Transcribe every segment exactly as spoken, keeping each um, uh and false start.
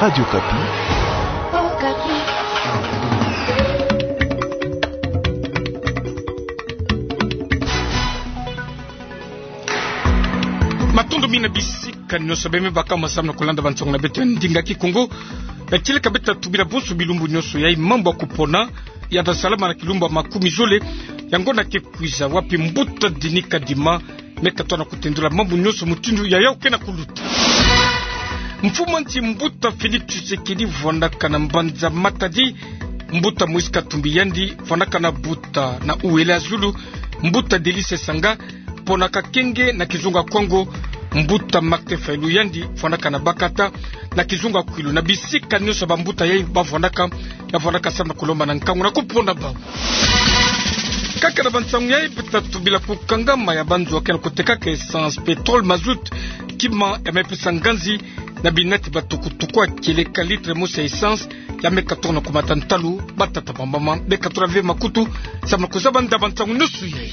Radio Okapi. Matondo mingi na bisika nyonso bima baka masamu na kulanda bansangu na beto ya ndinga Kikongo. Ya kieleka beto tubila bonso bilumbu nyonso yai mambu ya kupona ya ta salama na kilumbu ya makumi zole ya ngonda ke kwiza, wapi mbuta Denis Kadima me katuka na kutendula mambu nyonso mutindu yayau ke na kuluta. Mfumu a nsi mbuta Félix Tshisekedi vwandaka na mbanza Matadi, mbuta Moïse Katumbi yandi vwandaka na Buta, na Ouele-Azulu mbuta Délice Esanga ponaka kenge, na kizunga Kongo mbuta Martin Fayulu yandi vwandaka na Bakata, na kizunga Kwilu. Na bisika nyonso bambuta yai bavwandaka, ya vwandaka samu na kulomba na nkangu na kupona bau. Kaka na bansangu yai beto ta tubila kukangama ya banzo ya ke na kutekaka essence, pétrole, mazout, kima ya me pesa nganzi na binati ba tukutuku, ya kieleka litre mosi ya essence ya me katuka na kumata ntalu. Batata, bamama, beka tula ve makutu samu na kuzaba nda bansangu nyonso yai.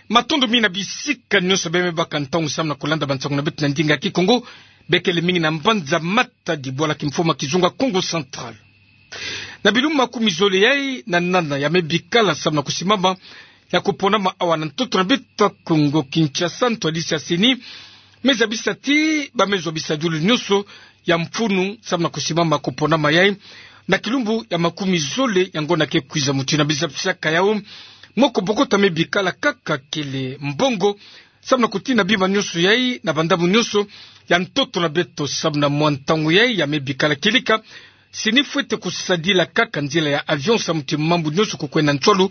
Matondo mingi na bisika nyonso bima baka ntangu samu na kulanda bansangu na beto na ndinga Kikongo. Beka kele mingi na mbanza Matadi, bwala kimfumu ya kizunga Kongo Central. Na bilumbu makumi zole yai na nana ya me bikala samu na kusimama ya kuponama awa na ntoto na beto Kongo Kinshasa, ntwadisi ya CENI me zabisa ti ba me zwa bisadilu nyonso ya mfunu samu na kusimama kuponama yai na kilumbu ya makumi zole ya ngonda ke kwiza. Mutindu na bizabisaka yau, moko bokota me bikala kaka kele mbongo samu na kutina bima nyonso yai na bandamu nyonso ya ntoto na beto. Samu na mwa ntangu yai ya me bikala kieleka, CENI fwete kusadila kaka nzila ya avion samu ti mambu nyonso kukwenda nswalu,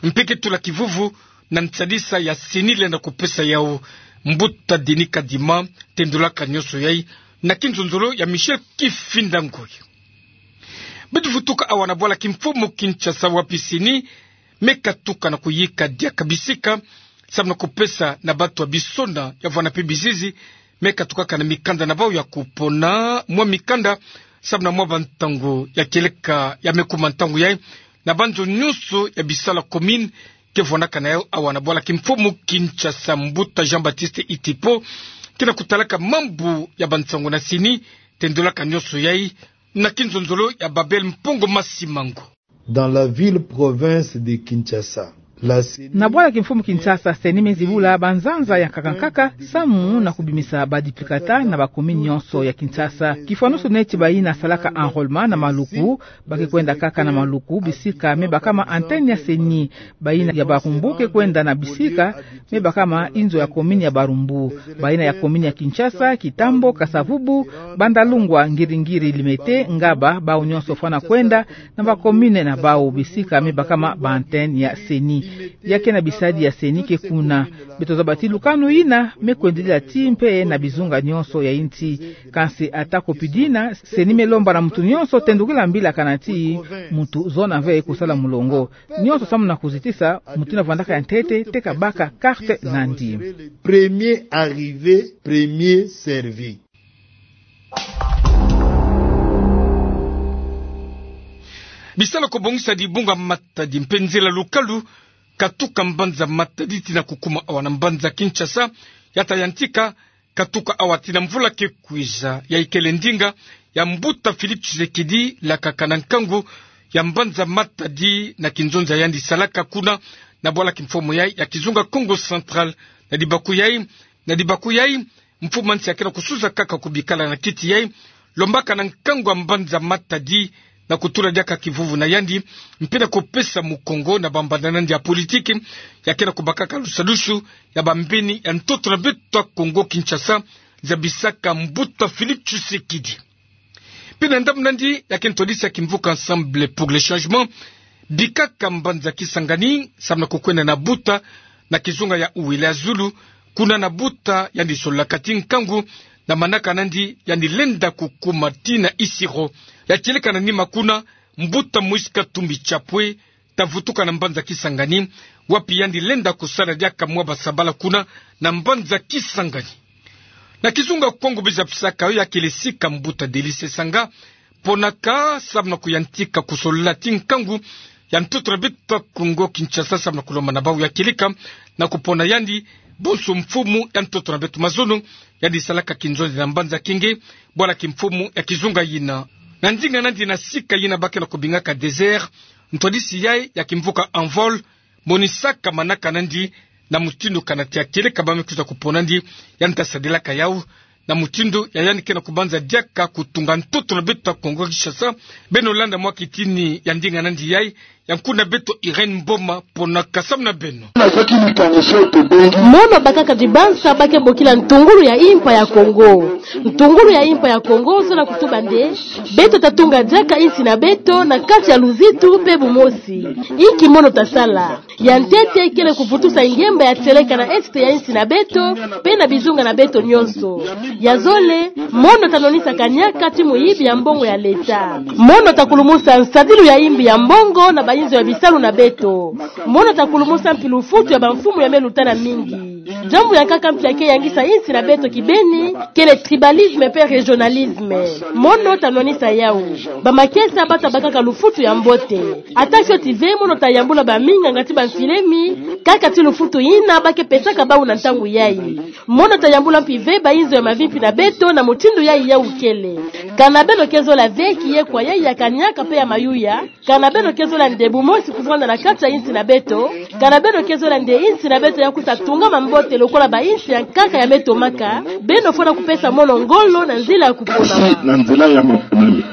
mpe ke tula kivuvu na nsadisa ya CENI lenda kupesa yau. Mbuta Denis Kadima tendulaka nyonso yai na kinzonzolo ya Michel Kifinda Ngoi. Beto vutuka awa na bwala kimfumu Kinshasa, wapi CENI me katuka na kuyika diaka bisika samu na kupesa na bato ya bisona ya vwanda mpe bizizi me katukaka na mikanda na bau ya kupona, mwa mikanda samu na mwa bantangu ya kieleka ya me kuma ntangu yai na banzo nyonso ya bisala commune ke vwandaka na yau awa na bwala kimfumu Kinshasa. Mbuta Jean-Baptiste Itipo ke na kutalaka mambu ya bansangu na CENI, tendulaka nyonso yai na kinzonzolo ya Babel Mpongo Masimango. Dans la ville province de Kinshasa, la CENI... Na bwala kimfumu Kinshasa, CENI me zibula banzanza ya nkaka nkaka samu na kubimisa ba duplicata na ba commune nyonso ya Kinshasa. Kifwanusu neti bayina salaka enrôlement na Maluku, ba ke kwenda kaka na Maluku bisika me bakama antenne ya CENI. Bayina ya Barumbu ke kwenda na bisika me bakama inzo ya commune ya Barumbu. Bayina ya commune ya Kinshasa, Kitambo, Kasa-Vubu, Bandalungwa, Ngiri-Ngiri, Limete, Ngaba, bau nyonso fwana kwenda na ba commune na bau bisika me bakama ba antenne ya CENI. Ya ke na bisadi ya CENI ke kuna. Beto zaba ti lukanu yina me kwendila ti mpe na bizunga nyonso ya insi. Kansi ata ko pi dina, CENI me lomba na muntu nyonso tendukila mbila kana ti muntu zona ve kusala mulongo. Nyonso samu na kuzitisa mutindu na vwandaka ya ntete, teka baka carte nandi. Premier arrivé, premier servi. Bisala ko bongisa dibunga Matadi mpe nzila lukalu katuka mbanza Matadi tina kukuma awa na mbanza Kinshasa, ya ta yantika katuka awa tina mvula ke kwiza. Yai kele ndinga ya mbuta Félix Tshisekedi, lakaka na nkangu ya mbanza Matadi na kinzonza yandi salaka kuna na bwala kimfumu yai ya kizunga Kongo Central. Na dibaku yai, na dibaku yai, mfumu a nsi ya ke na kusuza kaka kubikala na kiti yai, lombaka na nkangu ya mbanza Matadi na kutula diaka kivuvu na yandi, mpe na kupesa mukongo na bambanda nandi ya politiki, ya ke na kubakaka lusadusu ya bambeni ya ntoto na beto Kongo Kinshasa, zabisaka mbuta Félix Tshisekedi. Mpe na ndambu nandi, ya ke ntwadisi ya kimvuka Ensemble pour le Changement bikaka mbanza Kisangani samu na kukwenda na Buta, na kizunga ya Ouele-Azulu, kuna na Buta yandi sololaka ti nkangu na manaka nandi yandi lenda kukuma tina Isiro. Ya kieleka na nima kuna, mbuta Moïse Katumbi Chapwe ta vutuka na mbanza Kisangani, wapi yandi lenda kusala diaka mwa basabala kuna na mbanza Kisangani. Na kizunga Kongo, biza pisaka yo ya kele sika mbuta Délice Esanga ponaka samu na kuyantika kusolola ti nkangu ya ntoto na beto Kongo Kinshasa samu na kulomba na bau ya kieleka na kupona yandi Bonso mfumu ya ntoto na beto mazono, yandi salaka kinzonzi na mbanza Kingi, bwala kimfumu ya kizunga yina. Na ndinga nandi na sika yina ba ke na kubingaka désert, ntwadisi yayi ya kimvuka Envol, monisaka manaka nandi na mutindu kana tia kieleka ba me kwiza kupona nandi, yandi ta sadilaka yawu, na mutindu ya yandi ke na kubanza diaka kutunga ntoto na beto ya Kongo Kinshasa. Beno landa mwa kitini ya ndinga nandi yayi, ya nkuna beto Irène Mboma, ponaka samu na beno. Mono bakaka dibansa ba ke bokila ntungulu ya impa ya Kongo. Ntungulu ya impa ya Kongo zola kutuba nde, beto ta tunga diaka insi na beto na kati ya luzitu pe bumosi. Inki mono ta sala? Ya ntete kele kuvutusa ngemba ya tieleka na est ya insi na beto, pe na bizunga na beto nyonso. Ya zole, mono ta nwanisa kaniaka ti muyibi ya mbongo ya leta. Mono ta kulumusa nsadilu ya imbi ya mbongo na bainzo ya bisalu na beto. Mono ta kulumusa mpi lufutu ya bamfumu ya me luta na mingi. Diambu ya nkaka mpi ya ke yangisa insi na beto kibeni, kele tribalisme pe régionalisme. Mono ta nwanisa yawu. Bamakesa ba ta bakaka lufutu ya mbote. Ata fioti ve, mono ta yambula baminganga ti bamfilemi, kaka ti lufutu yina ba ke pesaka bawu na ntangu yayi. Mono ta yambula mpi ve bainzo ya mavimpi na beto na mutindu yayi yawu kele. Kana beno ke zola ve kiyekwa yayi ya kaniaka pe ya mayuya, kana beno ke zola nde bumosi kuvwanda na kati ya insi na beto, kana beno ke zola nde insi na beto ya kwiza tungama mbote lokola bainsi ya nkaka ya me tomaka, beno fwana kupesa mono ngolo na nzila ya kuponama. Na nzila ya maponami.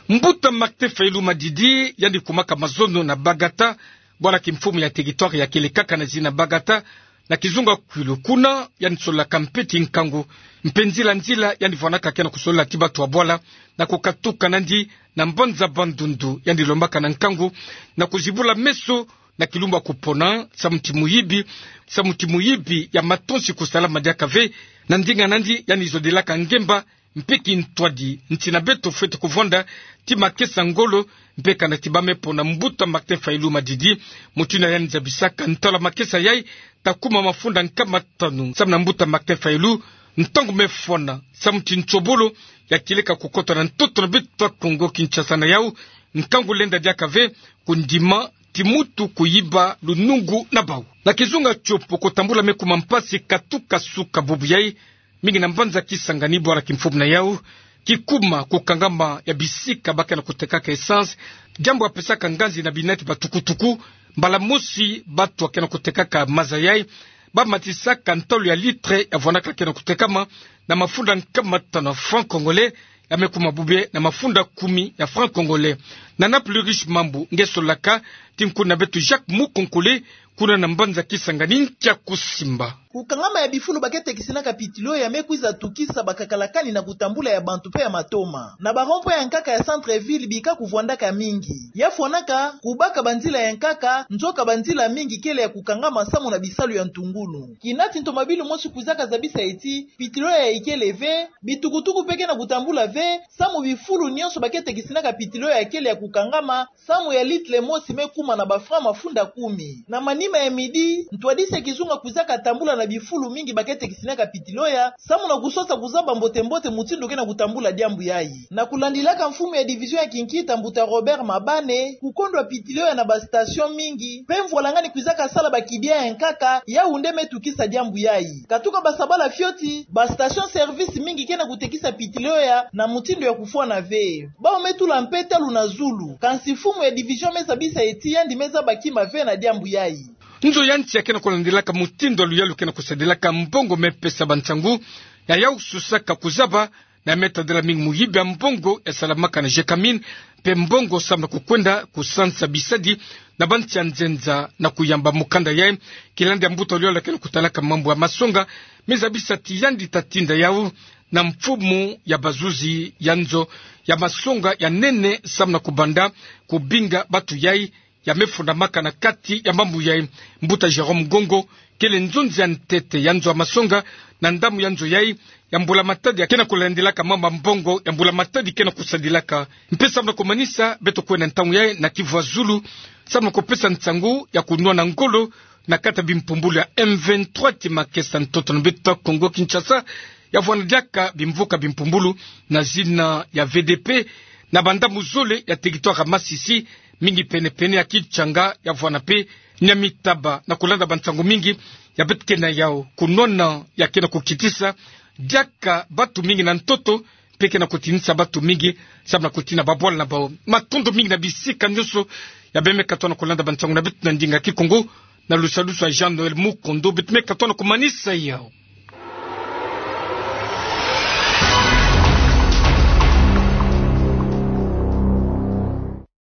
Mbuta Martin Fayulu Madidi, yandi kumaka mazono na Bagata, bwala kimfumu ya territoire ya kele kaka na zina Bagata, na kizunga Kwilu. Kuna yandi sololaka mpe ti nkangu, mpe nzila nzila yandi vwanaka ke na kusolola ti batu ya bwala, na kukatuka nandi na mbanza Bandundu, yandi lombaka na nkangu na kuzibula meso na kilumbu ya kupona, samu ti muyibi, samu ti muyibi ya matonsi kusalama diaka ve. Na ndinga nandi yandi zodelaka ngemba mpe kintwadi nsi na beto fwete kuvwanda ti makesa ngolo, mpe kana ti ba me pona mbuta Martin Fayulu Madidi, mutindu yandi zabisaka ntalu ya makesa yayi ta kuma mafunda nkama tanu samu na mbuta Martin Fayulu, ntangu me fwana, samu ti nsobolo ya kieleka kukota na ntoto na beto ya Kongo Kinshasa. Na yawu, nkangu lenda diaka ve kundima ti mutu kuyiba lunungu na bawu. Na kizunga Tshopo, kutambula me kuma mpasi katuka suka bubu yayi, mingi na mbanza Kisangani, bwala kimfumu na yawu kikuma kukangama ya bisika ba ke na kutekaka essence, diambu ya pesaka nganzi na binati batukutuku. Mbala mosi batu ya ke na kutekaka maza yayi ba matisaka ntalu ya litre ya vwanaka ke na kutekama na mafunda nkama tanu ya franc congolais, ya me kuma bobie na mafunda kumi ya franc congolais. Na Nana Pluriche Mambu nge sololaka ti nkuna beto Jacques Mukonkole, kuna na mbanza Kisangani, nkia kusimba. Kukangama ya bifulu ba ke tekisinaka pitilo ya me kwiza tukisa bakakalakani na kutambula ya bantu pe ya matoma. Na ba rond-point ya nkaka ya centre-ville bika kuvwandaka mingi. Ya fwanaka kubaka banzila ya nkaka, nzoka banzila mingi kele ya kukangama samu na bisalu ya ntungulu. Kina ti ntomabilu mosi kwizaka zabisa ti pitilo ya ikele ve, bitukutuku pe ke na kutambula ve, samu bifulu nyonso ba ke tekisinaka pitilo ya kele ya kukangama, samu ya litre mosi me kuma na ba franc mafunda kumi. Na manima ya midi, ntwadisi ya kizunga kwizaka tambula na bifulu mingi ba ke tekisinaka pitilo ya, samu na kusosa kuzaba mbote-mbote mutindu ke na kutambula diambu yayi. Na kulandilaka mfumu ya division ya kinkita, mbuta Robert Mabane, kukondwa pitilo ya na ba station mingi, pe mvwalangani kwizaka sala ba kidia ya nkaka, yawu nde me tukisa diambu yayi. Katuka basabala fioti, ba station service mingi ke na kutekisa pitilo ya na mutindu ya kufwana ve. Bawu me tula mpe talu na zulu. Kansi mfumu ya division me zabisa ti yandi me zaba kima ve na diambu yayi. Nzo ya nsi ya ke na kulandilaka mutindu ya luyalu ke na kusadilaka mbongo me pesa bansangu, ya yawu susaka kuzaba, na ya me tadila mingi muyibi ya mbongo ya salamaka na Gécamines, mpe mbongo samu na kukwenda kusansa bisadi na bansi ya nzenza na kuyamba mukanda yayi. Kilandi ya mbuta luyalu ke na kutalaka mambu ya masonga, me zabisa ti yandi ta tinda yawu na mfumu ya bazuzi ya nzo ya masonga ya nene samu na kubanda kubinga batu yayi ya me fundamaka na kati ya mambu yayi. Mbuta Jérôme Ngongo kele nzonzi ya ntete ya nzo ya masonga na ndambu ya nzo yayi ya mbula-matadi ya ke na kulandilaka mambu ya mbongo ya mbula-matadi ke na kusadilaka. Mpe samu na kumanisa, beto kwenda ntangu yayi na Kivu ya Zulu samu na kupesa nsangu ya kunwana ngolo na kati ya bimpumbulu ya M vingt-trois ti makesa ntoto na beto Kongo Kinshasa, ya vwanda diaka bimvuka bimpumbulu na zina ya V D P na bandambu zole ya territoire ya Masisi, Mingi penepene ya kitianga ya vwanape, nia mitaba na kolanda bansango mingi ya beto kena yau, kunwana ya kena kukitisa diaka batu mingi na ntoto, mpe kena kutinisa batu mingi sambala kutina babwala na bao. Matondo mingi na bisika nyonso ya bemeka tona kolanda bansango na beto na ndinga Kikongo, na lusalusu ya Jean Noël Mukondo beto meka tona kumanisa yau.